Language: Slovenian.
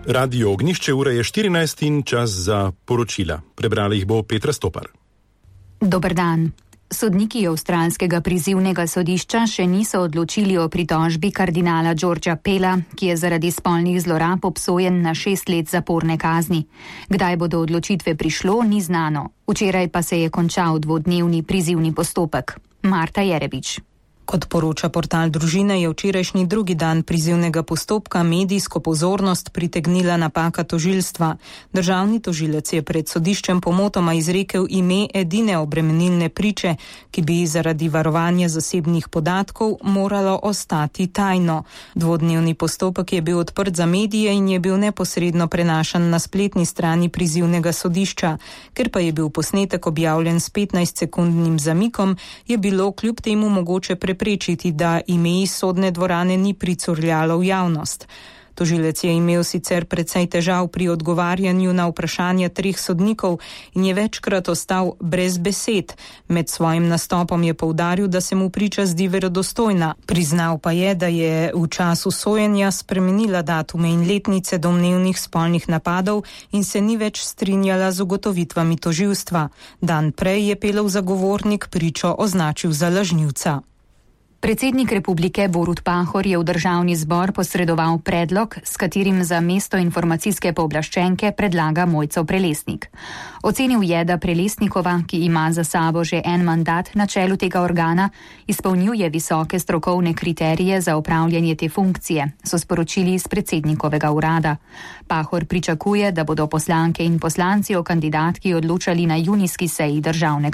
Radio Ognjišče, ura je 14 in čas za poročila. Prebrala jih bo Petra Stopar. Dober dan. Sodniki avstralskega prizivnega sodišča še niso odločili o pritožbi kardinala Georgea Pella, ki je zaradi spolnih zlorab obsojen na 6 let zaporne kazni. Kdaj bo do odločitve prišlo, ni znano. Včeraj pa se je končal 2-dnevni prizivni postopek. Marta Jerebič. Kot poroča portal Družine, je včerajšnji drugi dan prizivnega postopka medijsko pozornost pritegnila napaka tožilstva. Državni tožilec je pred sodiščem pomotoma izrekel ime edine obremenilne priče, ki bi zaradi varovanja zasebnih podatkov moralo ostati tajno. 2-dnevni postopek je bil odprt za medije in je bil neposredno prenašan na spletni strani prizivnega sodišča. Ker pa je bil posnetek objavljen s 15-sekundnim zamikom, je bilo kljub temu mogoče preprečiti, da ime iz sodne dvorane ni pricurljalo v javnost. Tožilec je imel sicer precej težav pri odgovarjanju na vprašanja 3 sodnikov in je večkrat ostal brez besed. Med svojim nastopom je poudaril, da se mu priča zdi verodostojna. Priznal pa je, da je v času sojenja spremenila datume in letnice domnevnih spolnih napadov in se ni več strinjala z ugotovitvami tožilstva. Dan prej je Pelov zagovornik pričo označil za lažnivca. Predsednik republike Borut Pahor je v državni zbor posredoval predlog, s katerim za mesto informacijske pooblaščenke predlaga Mojco Prelesnik. Ocenil je, da Prelesnikova, ki ima za sabo že en mandat na čelu tega organa, izpolnjuje visoke strokovne kriterije za opravljanje te funkcije, so sporočili iz predsednikovega urada. Pahor pričakuje, da bodo poslanke in poslanci o kandidatki odločali na junijski seji državnega